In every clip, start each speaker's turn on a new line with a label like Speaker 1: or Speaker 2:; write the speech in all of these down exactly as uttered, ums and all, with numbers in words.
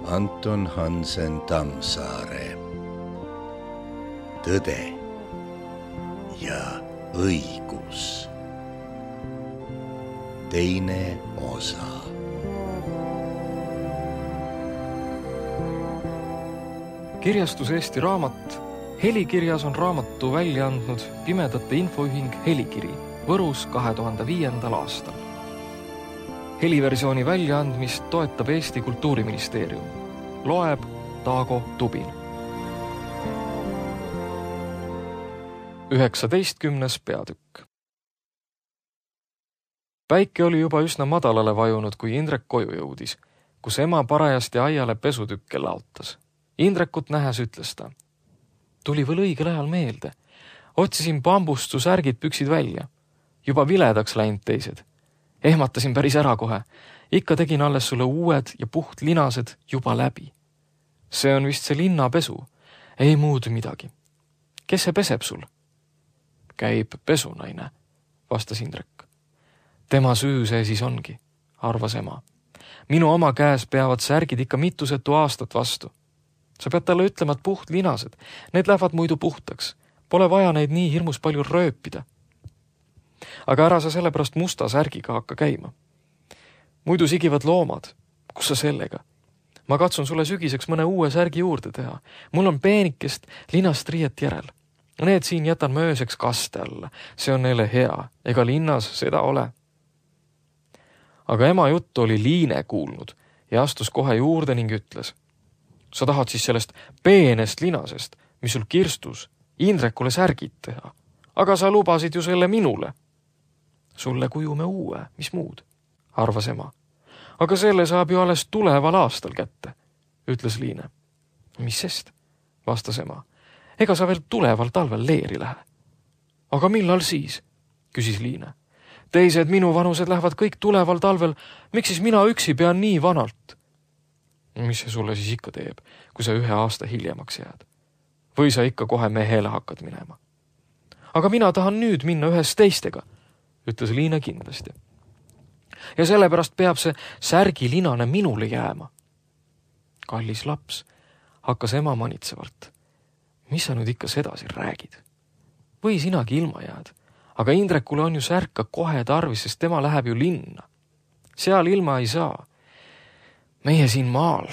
Speaker 1: Anton Hansen Tammsaare. Tõde ja õigus. Teine osa.
Speaker 2: Kirjastus Eesti Raamat. Helikirjas on raamatu välja andnud Pimedate Infoühing Helikiri Võrus kahe tuhande viiendal aastal. Heliversiooni väljaandmist toetab Eesti Kultuuriministeerium. Loeb Taago Tubin. üheksateistkümnes peatükk. Päike oli juba üsna madalale vajunud, kui Indrek koju jõudis, kus ema parajasti aiale pesutükke laotas. Indrekut nähes ütles ta. Tuli veel õigel ajal meelde. Otsisin bambust su särgid püksid välja. Juba viledaks läinud teised. Ehmatasin päris ära kohe. Ikka tegin alles sulle uued ja puht linased juba läbi. See on vist see linnapesu. Ei muud midagi. Kes see peseb sul? Käib pesunaine, vastas Indrek. Tema süü see siis ongi, arvas ema. Minu oma käes peavad särgid ikka mitusetu aastat vastu. Sa pead talle ütlema, et puht linased. Need lähevad muidu puhtaks. Pole vaja neid nii hirmus palju rööpida. Aga ära sa sellepärast musta särgiga hakka käima. Muidu sigivad loomad. Kus sa sellega? Ma katsun sulle sügiseks mõne uue särgi juurde teha. Mul on peenikest linast riiet järel. Need siin jätan ma ööseks kaste alla. See on neile hea. Ega linnas seda ole. Aga ema juttu oli Liine kuulnud ja astus kohe juurde ning ütles. Sa tahad siis sellest peenest linasest, mis sul kirstus, Indrekule särgid teha. Aga sa lubasid ju selle minule. Sulle kujume uue, mis muud, arvas ema. Aga selle saab ju alles tuleval aastal kätte, ütles Liine. Mis sest, vastas ema. Ega sa veel tuleval talvel leeri lähe. Aga millal siis, küsis Liine. Teised minu vanused lähevad kõik tuleval talvel, miks siis mina üksi pean nii vanalt? Mis see sulle siis ikka teeb, kui sa ühe aasta hiljemaks jääd? Või sa ikka kohe mehele hakkad minema? Aga mina tahan nüüd minna ühes teistega, ütles Liine kindlasti. Ja sellepärast peab see särgilinane minule jääma. Kallis laps, hakkas ema manitsevalt. Mis sa nüüd ikka sedasi räägid? Või sinagi ilma jääd? Aga Indrekule on ju särka kohe tarvis, sest tema läheb ju linna. Seal ilma ei saa. Meie siin maal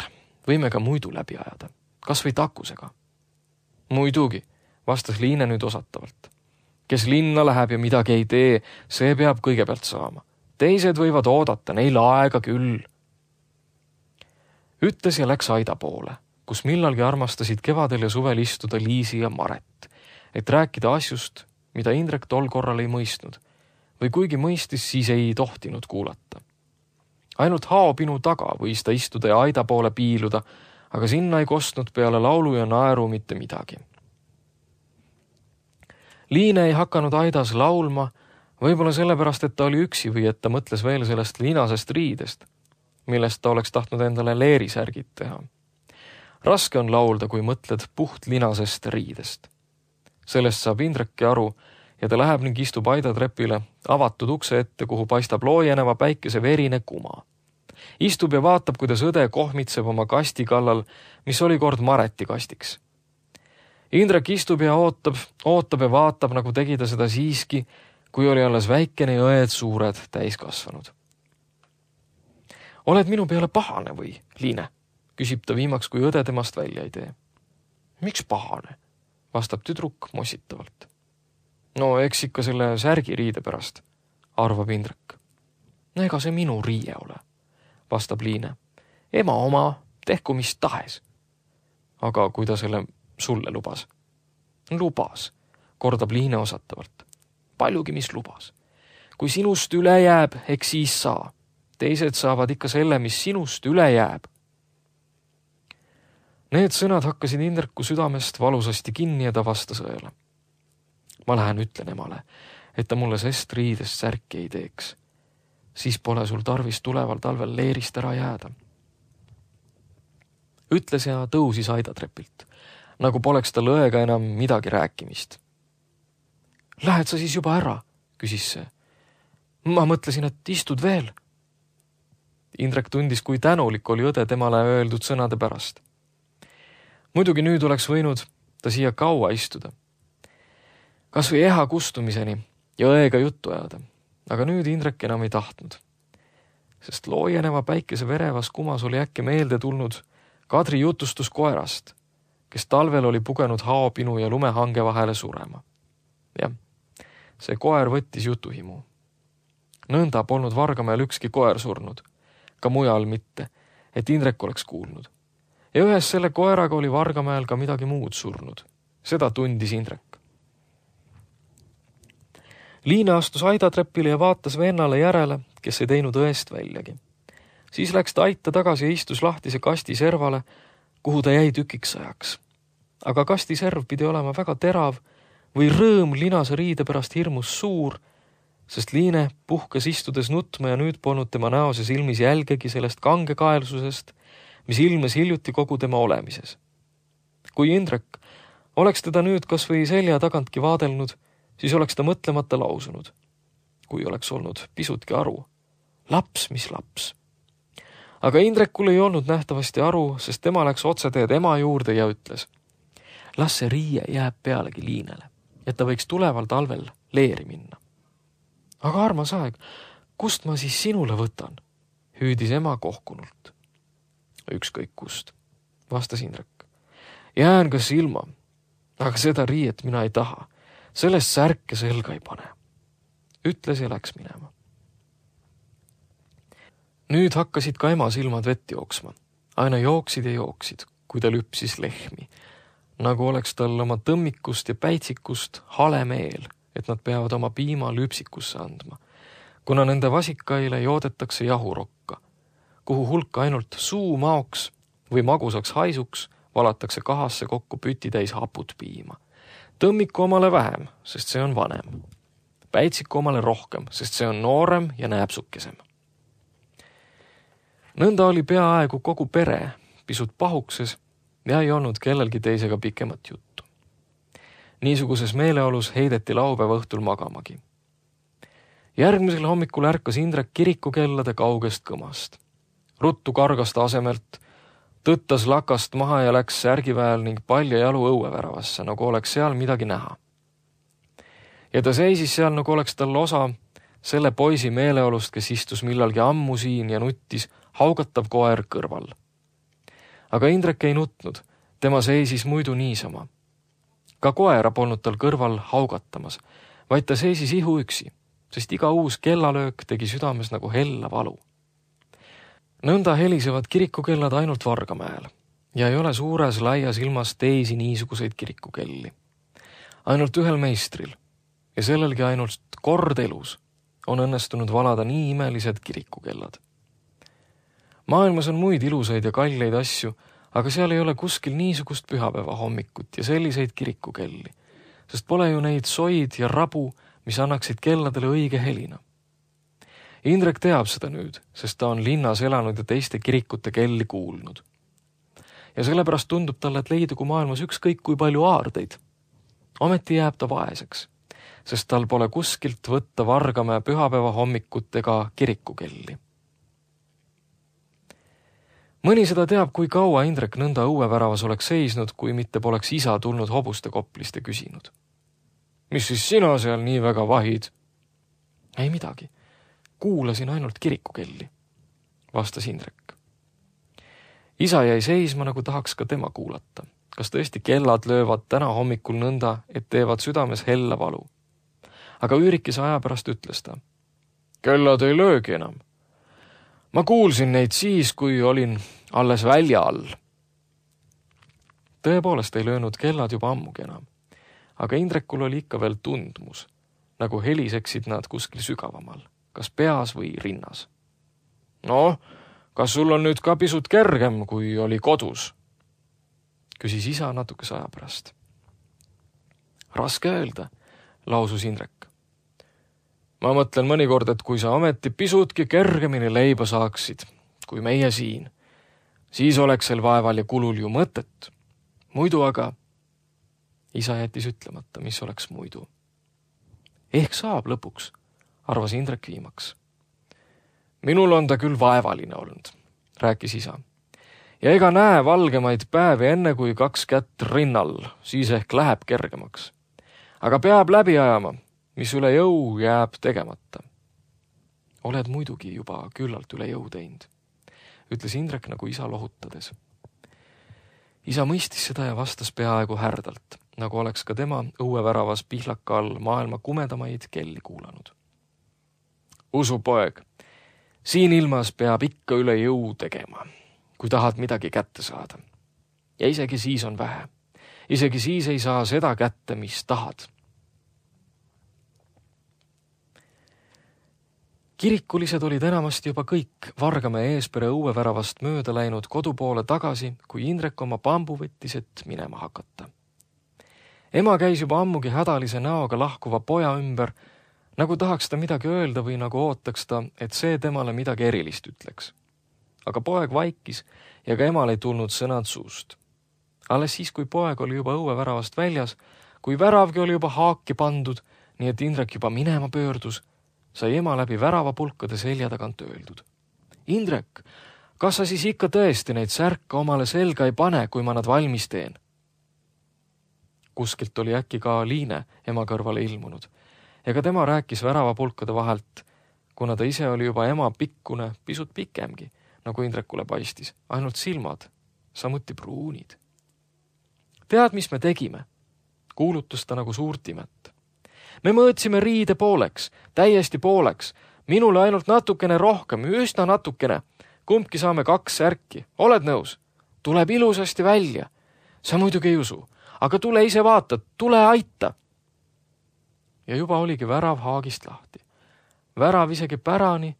Speaker 2: võime ka muidu läbi ajada, kas või takusega. Muidugi, vastas Liine nüüd osatavalt. Kes linna läheb ja midagi ei tee, see peab kõigepealt saama. Teised võivad oodata, neil aega küll. Ütles ja läks aida poole, kus millalgi armastasid kevadel ja suvel istuda Liisi ja Maret, et rääkida asjust, mida Indrek tol korral ei mõistnud, või kuigi mõistis, siis ei tohtinud kuulata. Ainult haopinu taga võis ta istuda ja aida poole piiluda, aga sinna ei kostnud peale laulu ja naeru mitte midagi. Liine ei hakanud aidas laulma, võib-olla sellepärast, et ta oli üksi või et ta mõtles veel sellest linasest riidest, millest ta oleks tahtnud endale leerisärgid teha. Raske on laulda, kui mõtled puht linasest riidest. Sellest saab Indreki aru ja ta läheb ning istub aidatrepile avatud ukse ette, kuhu paistab loojeneva päikese verine kuma. Istub ja vaatab, kuidas õde kohmitseb oma kasti kallal, mis oli kord Mareti kastiks. Indrek istub ja ootab, ootab ja vaatab, nagu tegi ta seda siiski, kui oli alles väikene ja õed suured täiskasvanud. Oled minu peale pahane või, Liine? Küsib ta viimaks, kui õde temast välja ei tee. Miks pahane? Vastab tüdruk mossitavalt. No eks ikka selle särgi riide pärast, arvab Indrek. No ega see minu riie ole, vastab Liine. Ema oma, tehku mis tahes. Aga kui ta selle sulle lubas? Lubas, kordab Liine osatavalt. Paljugi mis lubas. Kui sinust üle jääb, eks siis saa. Teised saavad ikka selle, mis sinust üle jääb. Need sõnad hakkasid Indreku südamest valusasti kinni ja ta vastas õele. Ma lähen ütlen emale, et ta mulle sest riidest särki ei teeks. Siis pole sul tarvis tuleval talvel leerist ära jääda. Ütles ja tõusis aidatrepilt, nagu poleks ta lõega enam midagi rääkimist. Lähed sa siis juba ära, küsis see. Ma mõtlesin, et istud veel. Indrek tundis, kui tänulik oli õde temale öeldud sõnade pärast. Muidugi nüüd oleks võinud ta siia kaua istuda. Kas või eha kustumiseni ja õega juttu ajada, aga nüüd Indrek enam ei tahtnud. Sest loojeneva päikese verevas kumas oli äkki meelde tulnud Kadri jutustus koerast, kes talvel oli pugenud haopinu ja lumehange vahele surema. Jah, see koer võttis jutuhimu. Nõnda polnud Vargamäel ükski koer surnud, ka mujal mitte, et Indrek oleks kuulnud. Ja ühes selle koeraga oli Vargamäel ka midagi muud surnud. Seda tundis Indrek. Liina astus aidatrepile ja vaatas vennale järele, kes ei teinud õest väljagi. Siis läks ta aita tagasi ja istus lahtise kasti servale, kuhu ta jäi tükiks ajaks. Aga kasti serv pidi olema väga terav või rõõm linase riide pärast hirmus suur, sest Liine puhkas istudes nutma ja nüüd polnud tema näos ja silmis jälgegi sellest kangekaelsusest, mis ilmes hiljuti kogu tema olemises. Kui Indrek oleks teda nüüd kas või selja tagantki vaadelnud, siis oleks ta mõtlemata lausunud, kui oleks olnud pisutki aru. Laps, mis laps. Aga Indrekul ei olnud nähtavasti aru, sest tema läks otseteed ema juurde ja ütles, las see riie jääb pealegi Liinele, et ta võiks tuleval talvel leeri minna. Aga armas aeg, kust ma siis sinule võtan? Hüüdis ema kohkunult. Ükskõik kust, vastas Indrek. Jään kas ilma, aga seda riiet mina ei taha. Sellest särke selga ei pane. Ütles ja läks minema. Nüüd hakkasid ka ema silmad vett jooksma. Aina jooksid ja jooksid, kui ta lüpsis lehmi. Nagu oleks tal oma tõmmikust ja päitsikust hale meel, et nad peavad oma piima lüpsikusse andma, kuna nende vasikaile joodetakse jahurokka, kuhu hulk ainult suu maoks või magusaks haisuks valatakse kahasse kokku pütitäis haput piima. Tõmmiku omale vähem, sest see on vanem. Päitsiku omale rohkem, sest see on noorem ja nääpsukesem. Nõnda oli peaaegu kogu pere pisut pahukses ja ei olnud kellelgi teisega pikemat juttu. Niisuguses meeleolus heideti laupäeva õhtul magamagi. Järgmisel hommikul ärkas Indrek kirikukellade kaugest kõmast. Ruttu kargas ta asemelt, tõttas lakast maha ja läks särgiväel ning palja jalu õueväravasse, nagu oleks seal midagi näha. Ja ta seisis seal, nagu oleks tal osa selle poisi meeleolust, kes istus millalgi ammu siin ja nuttis haugatav koer kõrval. Aga Indrek ei nutnud, tema seisis muidu niisama. Ka koera polnud tal kõrval haugatamas, vaid ta seisis ihu üksi, sest iga uus kellalöök tegi südames nagu hella valu. Nõnda helisevad kirikukellad ainult Vargamäel ja ei ole suures laias ilmas teisi niisuguseid kirikukelli. Ainult ühel meistril ja sellelgi ainult kord elus on õnnestunud valada nii imelised kirikukellad. Maailmas on muid ilusaid ja kalleid asju, aga seal ei ole kuskil niisugust pühapäeva hommikut ja selliseid kirikukelli, sest pole ju neid soid ja rabu, mis annaksid kelladele õige helina. Indrek teab seda nüüd, sest ta on linnas elanud ja teiste kirikute kelli kuulnud. Ja sellepärast tundub talle, et leidugu maailmas ükskõik kui palju aardeid. Ometi jääb ta vaeseks, sest tal pole kuskilt võtta Vargamäe pühapäeva hommikut ega kirikukelli. Mõni seda teab, kui kaua Indrek nõnda õueväravas oleks seisnud, kui mitte poleks isa tulnud hobuste koplist ja küsinud. Mis siis sina seal nii väga vahid? Ei midagi. Kuulasin ainult kirikukelli, vastas Indrek. Isa jäi seisma, nagu tahaks ka tema kuulata. Kas tõesti kellad löövad täna hommikul nõnda, et teevad südames hella valu? Aga üürikese aja pärast ütles ta. Kellad ei löögi enam. Ma kuulsin neid siis, kui olin alles välja all. Tõepoolest ei löönud kellad juba ammugi enam, aga Indrekul oli ikka veel tundmus, nagu heliseksid nad kuskil sügavamal, kas peas või rinnas. No, kas sul on nüüd ka pisut kergem, kui oli kodus? Küsis isa natukese aja pärast. Raske öelda, lausus Indrek. Ma mõtlen mõnikord, et kui sa ometi pisutki kergemini leiba saaksid, kui meie siin, siis oleks sel vaeval ja kulul ju mõtet. Muidu aga, isa jättis ütlemata, mis oleks muidu. Ehk saab lõpuks, arvas Indrek viimaks. minul on ta küll vaevaline olnud, rääkis isa. Ja ega näe valgemaid päevi enne kui kaks kätt rinnal, siis ehk läheb kergemaks. Aga peab läbi ajama, mis üle jõu jääb tegemata. Oled muidugi juba küllalt üle jõu teinud, ütles Indrek nagu isa lohutades. Isa mõistis seda ja vastas peaaegu härdalt, nagu oleks ka tema õueväravas pihlaka all maailma kumedamaid kelli kuulanud. Usu, poeg, siin ilmas peab ikka üle jõu tegema, kui tahad midagi kätte saada. Ja isegi siis on vähe. Isegi siis ei saa seda kätte, mis tahad. Kirikulised olid enamasti juba kõik Vargamäe Eespere õueväravast mööda läinud kodupoole tagasi, kui Indrek oma pambu võttis, et minema hakata. Ema käis juba ammugi hädalise näoga lahkuva poja ümber, nagu tahaks ta midagi öelda või nagu ootaks ta, et see temale midagi erilist ütleks. Aga poeg vaikis ja ka emal ei tulnud sõnad suust. Alles siis, kui poeg oli juba õueväravast väljas, kui väravgi oli juba haaki pandud, nii et Indrek juba minema pöördus, sai ema läbi väravapulkade selja tagant öeldud. Indrek, kas sa siis ikka tõesti neid särka omale selga ei pane, kui ma nad valmis teen? Kuskilt oli äkki ka Liine ema kõrvale ilmunud. Ega tema rääkis väravapulkade vahelt, kuna ta ise oli juba ema pikkune, pisut pikemgi, nagu Indrekule paistis, ainult silmad, samuti pruunid. Tead, mis me tegime? Kuulutus ta nagu suurt imet. Me mõõtsime riide pooleks, täiesti pooleks, minule ainult natukene rohkem, üsna natukene. Kumbki saame kaks särki. Oled nõus? Tuleb ilusasti välja. Sa muidugi ei usu, aga tule ise vaata, tule aita. Ja juba oligi värav haagist lahti. Värav isegi pärani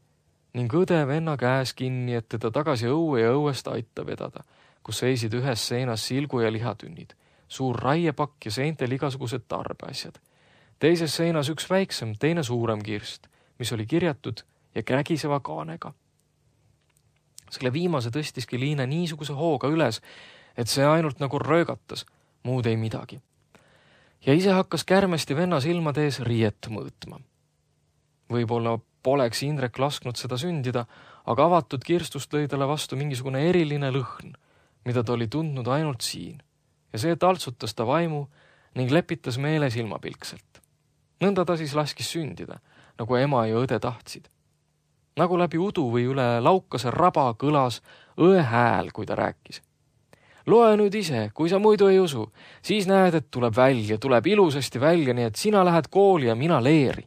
Speaker 2: ning õde venna käes kinni, et teda tagasi õue ja õuest aita vedada, kus seisid ühes seinas silgu ja lihatünnid, suur raiepakk ja seintel igasugused tarbeasjad. Teises seinas üks väiksem, teine suurem kirst, mis oli kirjatud ja kägiseva kaanega. Selle viimase tõstiski Liine niisuguse hooga üles, et see ainult nagu röögatas, muud ei midagi. Ja ise hakkas kärmesti venna silmade ees riiet mõõtma. Võib-olla poleks Indrek lasknud seda sündida, aga avatud kirstust lõi talle vastu mingisugune eriline lõhn, mida ta oli tundnud ainult siin, ja see taltsutas ta vaimu ning lepitas meele silmapilkselt. Nõnda ta siis laskis sündida, nagu ema ja õde tahtsid. Nagu läbi udu või üle laukase raba kõlas õe hääl, kui ta rääkis. Loe nüüd ise, kui sa muidu ei usu, siis näed, et tuleb välja, tuleb ilusasti välja, nii et sina lähed kooli ja mina leeri.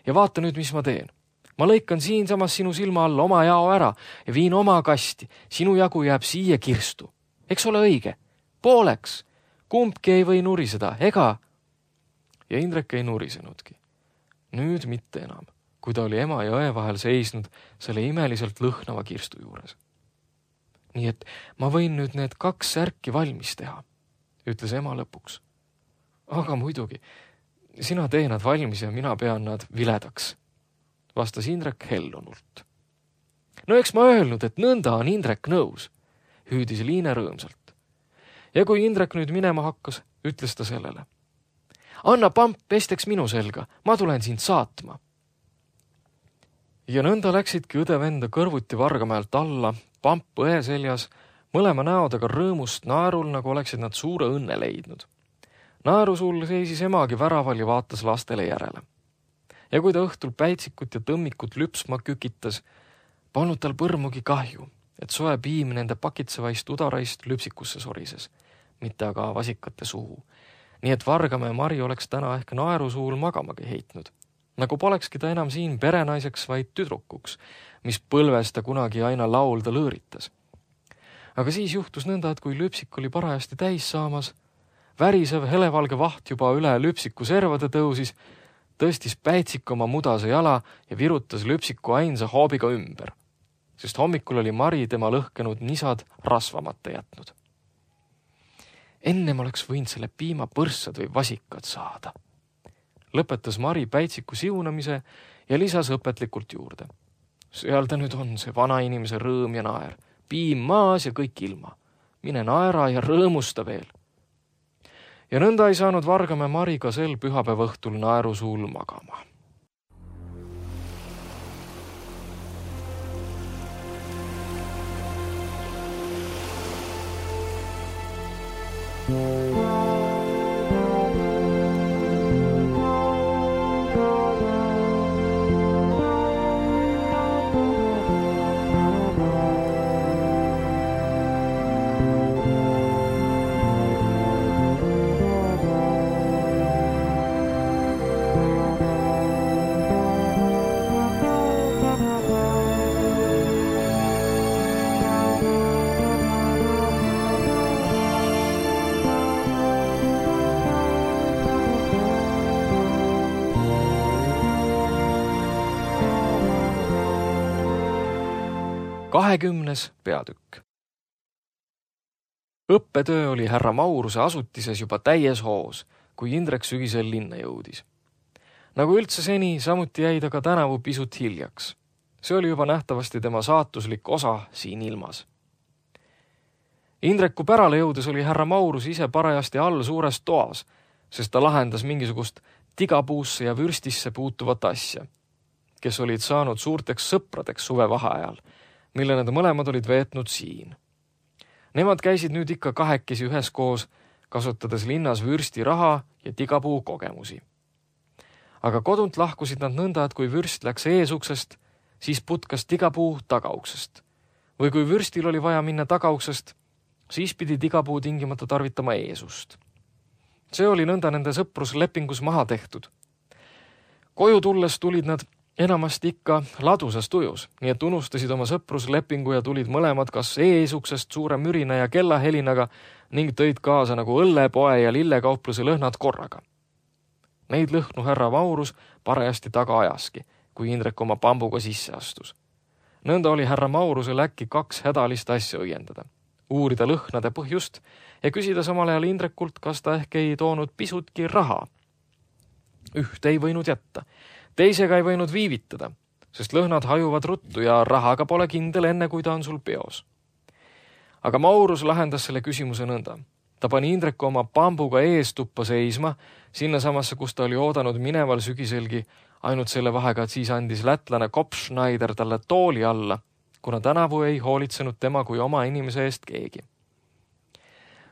Speaker 2: Ja vaata nüüd, mis ma teen. Ma lõikan siinsamas sinu silma alla oma jao ära ja viin oma kasti. Sinu jagu jääb siia kirstu. Eks ole õige? Pooleks. Kumbki ei või nuriseda, ega? Ja Indrek ei nurisenudki. Nüüd mitte enam, kui ta oli ema ja õe vahel seisnud selle imeliselt lõhnava kirstu juures. Nii et ma võin nüüd need kaks särki valmis teha, ütles ema lõpuks. Aga muidugi, sina tee nad valmis ja mina pean nad viledaks, vastas Indrek hellunult. No eks ma öelnud, et nõnda on Indrek nõus, hüüdis Liine rõõmsalt. Ja kui Indrek nüüd minema hakkas, ütles ta sellele. Anna pamp pesteks minu selga, ma tulen sind saatma. Ja nõnda läksidki õde venda kõrvuti Vargamäelt alla, pamp õe seljas, mõlema näodega rõõmust naerul, nagu oleksid nad suure õnne leidnud. Naerusul seisis emagi väraval ja vaatas lastele järele. Ja kui ta õhtul päitsikut ja tõmmikut lüpsma kükitas, polnud tal põrmugi kahju, et soe piim nende pakitsevaist udaraist lüpsikusse sorises, mitte aga vasikate suhu. Nii et Vargamäe Mari oleks täna ehk naerusuul magamagi heitnud. Nagu polekski ta enam siin perenaiseks, vaid tüdrukuks, mis põlves ta kunagi aina laulda lõõritas. Aga siis juhtus nõnda, et kui lüpsik oli parajasti täis saamas, värisev helevalge vaht juba üle lüpsiku servade tõusis, tõstis päitsik oma mudase jala ja virutas lüpsiku ainsa hoobiga ümber, sest hommikul oli Mari tema lõhkenud nisad rasvamata jätnud. Ennem oleks võinud selle piima põrssad või vasikad saada. Lõpetas Mari päitsiku siunamise ja lisas õpetlikult juurde. Seal ta nüüd on, see vana inimese rõõm ja naer. Piim maas ja kõik ilma. Mine naera ja rõõmusta veel. Ja nõnda ei saanud Vargamäe Mari ka sel pühapäeva õhtul naerusuul magama. kahekümnes peatükk. Õppetöö oli härra Mauruse asutises juba täies hoos, kui Indrek sügisel linna jõudis. Nagu üldse seni, samuti jäi ta ka tänavu pisut hiljaks. See oli juba nähtavasti tema saatuslik osa siin ilmas. Indreku pärale jõudes oli härra Maurus ise parajasti all suures toas, sest ta lahendas mingisugust tigapuusse ja vürstisse puutuvat asja, kes olid saanud suurteks sõpradeks suve vaheajal, mille nad mõlemad olid veetnud siin. Nemad käisid nüüd ikka kahekesi üheskoos, kasutades linnas vürsti raha ja tigapuu kogemusi. Aga kodunt lahkusid nad nõnda, et kui vürst läks eesuksest, siis putkas tigapuu tagauksest. Või kui vürstil oli vaja minna tagauksest, siis pidi tigapuu tingimata tarvitama eesust. See oli nõnda nende sõpruslepingus maha tehtud. Koju tulles tulid nad enamasti ikka ladusas tujus, nii et unustasid oma sõpruslepingu ja tulid mõlemad kas eesuksest suure mürina ja kellahelinaga ning tõid kaasa nagu õlle, poe ja lillekaupluse lõhnad korraga. Neid lõhnu härra Maurus parajasti taga ajaski, kui Indrek oma pambuga sisse astus. Nõnda oli härra Maurusel äkki kaks hädalist asja õiendada. Uurida lõhnade põhjust ja küsida samal ajal Indrekult, kas ta ehk ei toonud pisutki raha. Üht ei võinud jätta. Teisega ei võinud viivitada, sest lõhnad hajuvad ruttu ja rahaga pole kindel enne, kui ta on sul peos. Aga Maurus lahendas selle küsimuse nõnda. Ta pani Indreku oma pambuga ees tuppa seisma, sinna samasse, kus ta oli oodanud mineval sügiselgi, ainult selle vahega, et siis andis lätlane Kopfschneider talle tooli alla, kuna tänavu ei hoolitsenud tema kui oma inimese eest keegi.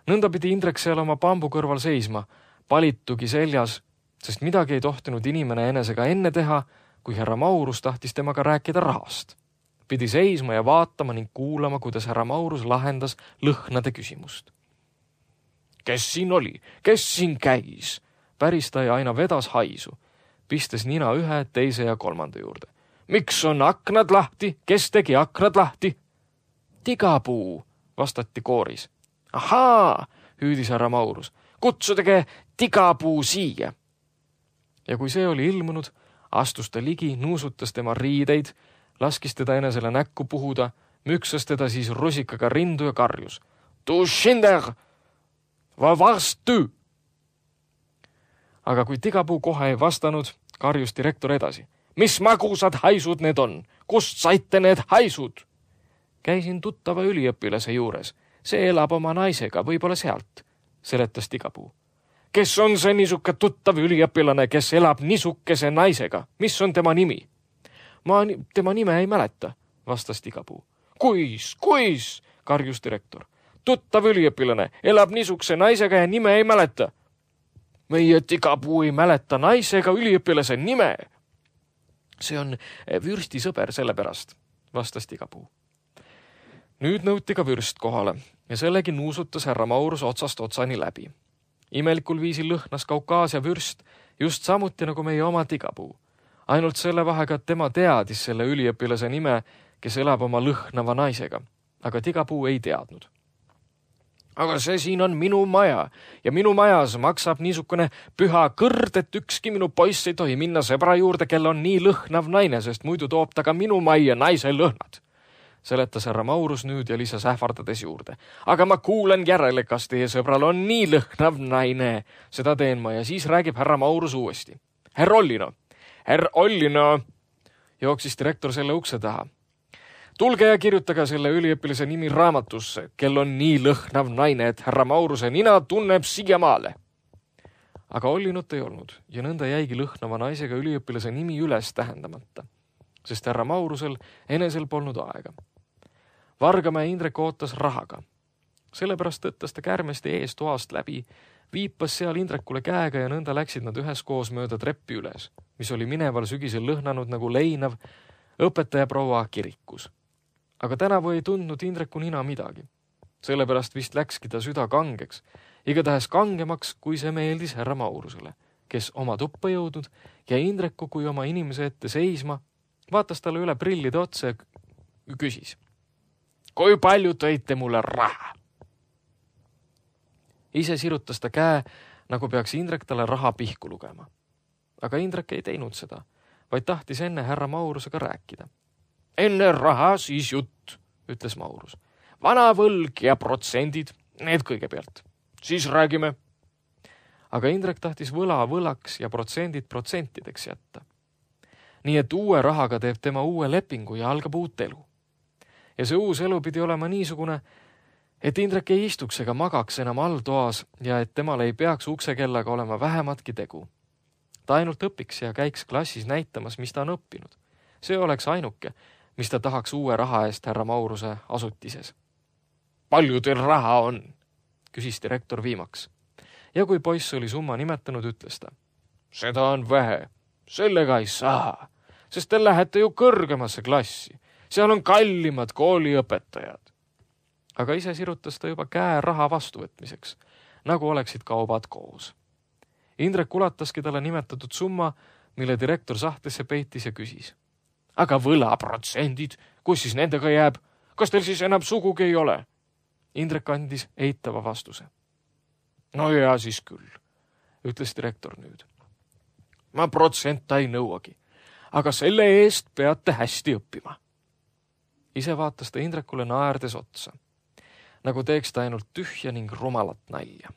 Speaker 2: Nõnda pidi Indrek seal oma pambu kõrval seisma, palitugi seljas, sest midagi ei tohtinud inimene enesega enne teha, kui härra Maurus tahtis temaga rääkida rahast. Pidi seisma ja vaatama ning kuulama, kuidas härra Maurus lahendas lõhnade küsimust. Kes siin oli? Kes siin käis? Päris ta ja aina vedas haisu, pistes nina ühe, teise ja kolmanda juurde. Miks on aknad lahti? Kes tegi aknad lahti? Tigapuu, vastati kooris. Ahaa, hüüdis härra Maurus. Kutsudage tigapuu siia. Ja kui see oli ilmunud, astus ta ligi, nuusutas tema riideid, laskis teda enesele näkku puhuda, müksas teda siis rusikaga rindu ja karjus. Tu Schinder! Va varstu! Aga kui tigapuu kohe ei vastanud, karjus direktor edasi. Mis magusad haisud need on? Kust saite need haisud? Käisin tuttava üliõpilase juures. See elab oma naisega, võib-olla sealt, seletas tigapuu. Kes on see niisuke tuttav üliõpilane, kes elab niisukese naisega? Mis on tema nimi? Ma tema nime ei mäleta, vastas tigapuu. Kuis, kuis, karjus direktor. Tuttav üliõpilane elab niisukese naisega ja nime ei mäleta. Meie tigapuu ei mäleta naisega üliõpilase nime. See on vürsti sõber sellepärast, vastas tigapuu. Nüüd nõuti ka vürst kohale ja sellegi nuusutas härra Maurus otsast otsani läbi. Imelikul viisil lõhnas Kaukaasia vürst just samuti nagu meie oma tigapuu. Ainult selle vahega, et tema teadis selle üliõpilase nime, kes elab oma lõhnava naisega, aga tigapuu ei teadnud. Aga see siin on minu maja ja minu majas maksab niisugune püha kõrd, et ükski minu poiss ei tohi minna sõbra juurde, kel on nii lõhnav naine, sest muidu toob ta ka minu majja naise lõhnad. Seletas härra Maurus nüüd ja lisas ähvardades juurde. Aga ma kuulen järele, kas teie sõbral on nii lõhnav naine. Seda teen ma ja siis räägib härra Maurus uuesti. Herr Ollino, herr Ollino, jooksis direktor selle ukse taha. Tulge ja kirjutage selle üliõpilase nimi raamatusse, kel on nii lõhnav naine, et härra Mauruse nina tunneb siiamaale. Aga Ollinut ei olnud ja nõnda jäigi lõhnava naisega üliõpilase nimi üles tähendamata, sest härra Maurusel enesel polnud aega. Vargamäe Indrek ootas rahaga. Sellepärast tõttas ta kärmeste ees toast läbi, viipas seal Indrekule käega ja nõnda läksid nad üheskoos mööda treppi üles, mis oli mineval sügisel lõhnanud nagu leinav õpetaja proua kirikus. Aga tänavu ei tundnud Indreku nina midagi. Sellepärast vist läkski ta süda kangeks, igatahes kangemaks, kui see meeldis härra Maurusele, kes oma tuppa jõudnud ja Indreku kui oma inimese ette seisma, vaatas talle üle prillide otsa ja küsis. Kui palju tõite mulle raha? Ise sirutas ta käe, nagu peaks Indrek talle raha pihku lugema. Aga Indrek ei teinud seda, vaid tahtis enne härra Maurusega rääkida. Enne raha, siis jutt, ütles Maurus. Vana võlg ja protsendid, need kõigepealt. Siis räägime. Aga Indrek tahtis võla võlaks ja protsendid protsentideks jätta. Nii et uue rahaga teeb tema uue lepingu ja algab uut elu. Ja see uus elu pidi olema niisugune, et Indrek ei istuks ega magaks enam all toas ja et temal ei peaks uksekellaga olema vähematki tegu. Ta ainult õpiks ja käiks klassis näitamas, mis ta on õppinud. See oleks ainuke, mis ta tahaks uue raha eest härra Mauruse asutises. Palju teil raha on? Küsis direktor viimaks. Ja kui poiss oli summa nimetanud, ütles ta. Seda on vähe. Sellega ei saa, sest te lähete ju kõrgemasse klassi. Seal on kallimad kooliõpetajad. Aga ise sirutas ta juba käe raha vastuvõtmiseks, nagu oleksid kaubad koos. Indrek ulataski talle nimetatud summa, mille direktor sahtesse peitis ja küsis. Aga võlaprotsendid, kus siis nendega jääb? Kas teil siis enam sugugi ei ole? Indrek andis eitava vastuse. No ja siis küll, ütles direktor nüüd. Ma protsenta ei nõuagi, aga selle eest peate hästi õppima. Ise vaatas ta Indrekule naerdes otsa, nagu teeks ta ainult tühja ning rumalat nalja.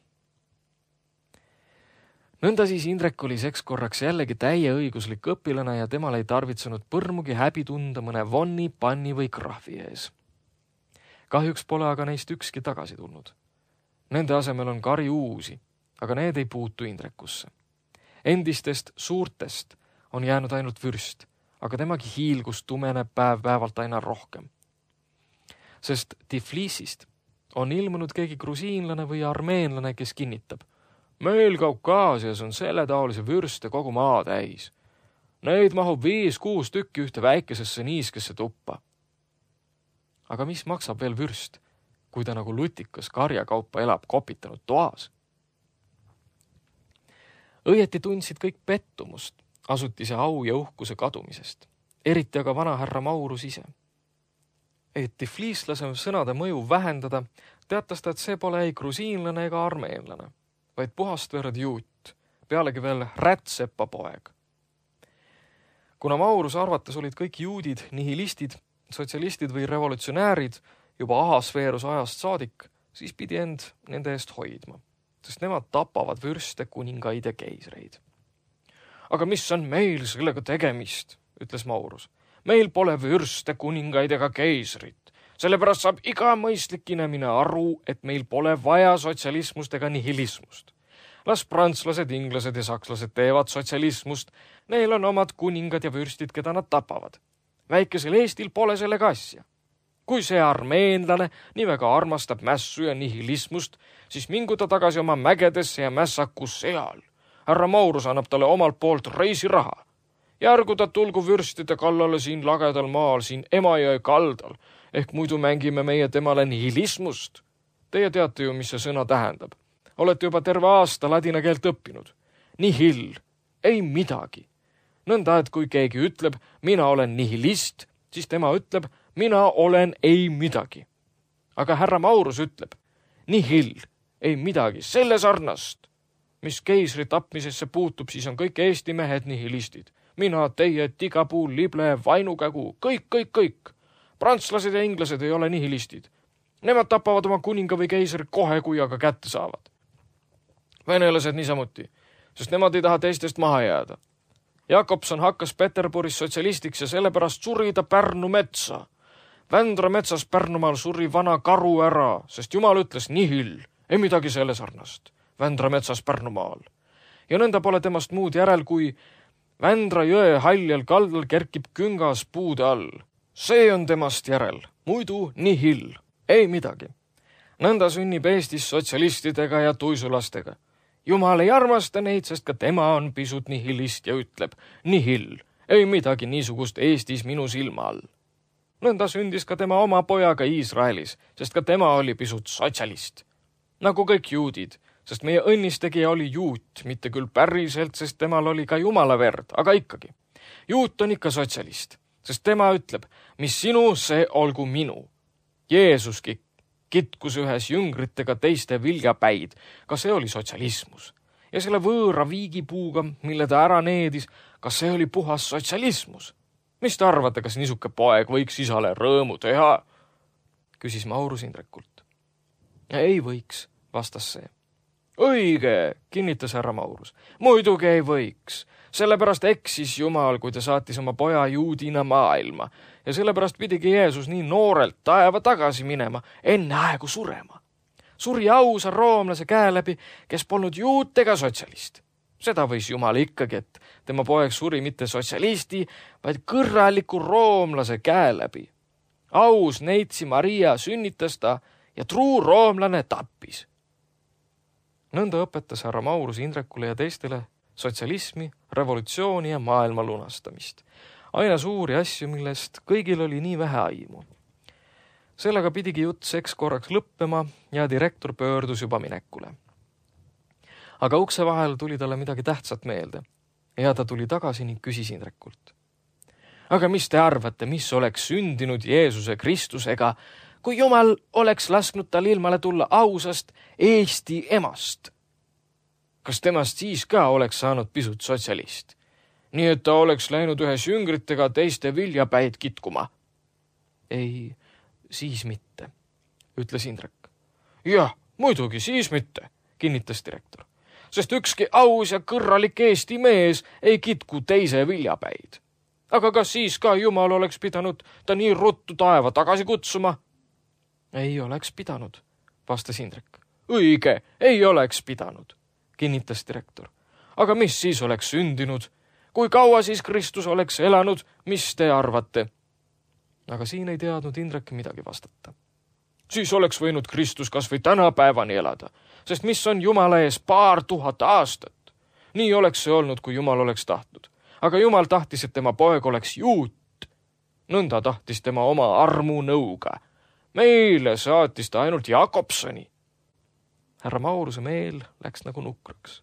Speaker 2: Nõnda siis Indrek oli seks korraks jällegi täieõiguslik õpilane ja temal ei tarvitsenud põrmugi häbi tunda mõne vonni, panni või krahvi ees. Kahjuks pole aga neist ükski tagasi tulnud. Nende asemel on kari uusi, aga need ei puutu Indrekusse. Endistest suurtest on jäänud ainult vürst, aga temagi hiilgus tumeneb päev-päevalt aina rohkem. Sest Tiflisist on ilmunud keegi grusiinlane või armeenlane, kes kinnitab. Meil Kaukaasias on selle taolise vürste kogu maa täis. Neid mahub viis-kuus tükki ühte väikesesse niiskesse tuppa. Aga mis maksab veel vürst, kui ta nagu lutikas karjakaupa elab kopitanud toas? Õieti tundsid kõik pettumust asutise au ja uhkuse kadumisest, eriti aga vana härra Maurus ise. Et tifliislase sõnade mõju vähendada, teatas ta, et see pole ei grusiinlane ega armeenlane, vaid puhast verd juut, pealegi veel rätsepa poeg. Kuna Mauruse arvates olid kõik juudid, nihilistid, sotsialistid või revolutsionäärid juba ahasveeruse ajast saadik, siis pidi end nende eest hoidma, sest nemad tapavad vürste, kuningaid ja keisreid. Aga mis on meil sellega tegemist, ütles Maurus. Meil pole vürste, kuningaid ega keisrit. Sellepärast saab iga mõistlik inimene aru, et meil pole vaja sotsialismust ega nihilismust. Las prantslased, inglased ja sakslased teevad sotsialismust. Neil on omad kuningad ja vürstid, keda nad tapavad. Väikesel Eestil pole sellega asja. Kui see armeenlane nii väga armastab mässu ja nihilismust, siis mingu ta tagasi oma mägedesse ja mässaku seal. Härra Maurus annab talle omalt poolt reisiraha. Järgu ta tulgu vürstide kallale siin lagedal maal, siin Emajõe kaldal, ehk muidu mängime meie temale nihilismust. Teie teate ju, mis see sõna tähendab. Olete juba terve aasta ladina keelt õppinud. Nihil, ei midagi. Nõnda, et kui keegi ütleb, mina olen nihilist, siis tema ütleb, mina olen ei midagi. Aga härra Maurus ütleb, nihil, ei midagi, selle sarnast. Mis keisri tapmisesse puutub, siis on kõik Eesti mehed nihilistid. Mina, teie, tigapuu, lible, vainukägu, kõik, kõik, kõik. Prantslased ja inglased ei ole nihilistid. Nemad tapavad oma kuninga või keisri kohe, kui aga kätte saavad. Venelased niisamuti, sest nemad ei taha teistest maha jääda. Jakobson hakkas Peterburis sotsialistiks ja sellepärast suri ta Pärnu metsa. Vändra metsas Pärnumaal suri vana karu ära, sest Jumal ütles nihil, ei midagi selle sarnast. Vändra metsas Pärnumaal. Ja nõnda pole temast muud järel, kui Vändra jõe haljal kaldal kerkib küngas puude all. See on temast järel, muidu nihil, ei midagi. nõnda sünnib Eestis sotsialistidega ja tuisulastega. Jumal ei armasta neid, sest ka tema on pisut nihilist ja ütleb, nihil, ei midagi niisugust Eestis minu silma all. Nõnda sündis ka tema oma pojaga Iisraelis, sest ka tema oli pisut sotsialist. Nagu kõik juudid, sest meie õnnistegija oli juut, mitte küll päriselt, sest temal oli ka Jumala verd, aga ikkagi. Juut on ikka sotsialist, sest tema ütleb, mis sinu, see olgu minu. Jeesuski kitkus ühes jüngritega teiste viljapäid, ka see oli sotsialismus. Ja selle võõra viigipuuga, mille ta ära needis, kas see oli puhas sotsialismus? Mis te arvate, kas niisuke poeg võiks isale rõõmu teha? Küsis Maurus Indrekult. Ei võiks, vastas see. Õige, kinnitas härra Maurus. Muidugi ei võiks. Sellepärast eksis Jumal, kui ta saatis oma poja juudina maailma. Ja sellepärast pidigi Jeesus nii noorelt taeva tagasi minema, enne aegu surema. Suri ausa roomlase käe läbi, kes polnud juut ega sotsialist. Seda võis Jumal ikkagi, et tema poeg suri mitte sotsialisti, vaid kõrraliku roomlase käe läbi. Aus neitsi Maria sünnitas ta ja truu roomlane tappis. Nõnda õpetas härra Maurus Indrekule ja teistele sotsialismi, revolutsiooni ja maailma lunastamist. Aina suuri asju, millest kõigil oli nii vähe aimu. Sellega pidigi jutt seks korraks lõppema ja direktor pöördus juba minekule. Aga ukse vahel tuli talle midagi tähtsat meelde ja ta tuli tagasi ning küsis Indrekult. Aga mis te arvate, mis oleks sündinud Jeesuse Kristusega, kui Jumal oleks lasknud tal ilmale tulla ausast Eesti emast? Kas temast siis ka oleks saanud pisut sotsialist? Nii et ta oleks läinud ühes jüngritega teiste viljapäid kitkuma? Ei, siis mitte, ütles Indrek. Jah, muidugi siis mitte, kinnitas direktor. Sest ükski aus ja kõrralik Eesti mees ei kitku teise viljapäid. Aga kas siis ka Jumal oleks pidanud ta nii ruttu taeva tagasi kutsuma? Ei oleks pidanud, vastas Indrek. Õige, ei oleks pidanud, kinnitas direktor. Aga mis siis oleks sündinud? Kui kaua siis Kristus oleks elanud, mis te arvate? Aga siin ei teadnud Indrek midagi vastata. Siis oleks võinud Kristus kas või tänapäevani elada, sest mis on Jumala ees paar tuhat aastat. Nii oleks see olnud, kui Jumal oleks tahtnud. Aga Jumal tahtis, et tema poeg oleks juut. Nõnda tahtis tema oma armu nõuga. Meile saatis ta ainult Jakobsoni. Härra Mauruse meel läks nagu nukraks.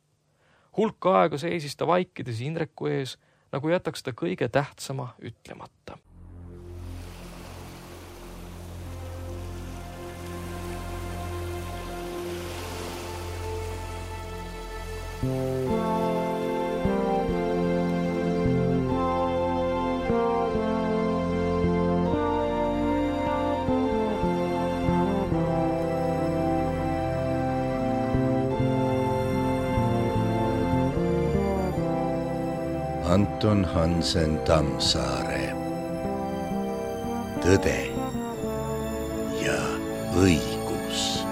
Speaker 2: Hulk aega seisis ta vaikides Indreku ees, nagu jätaks ta kõige tähtsama ütlemata.
Speaker 1: Anton Hansen Tammsaare. Tõde ja õigus.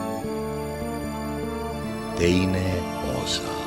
Speaker 1: Teine osa.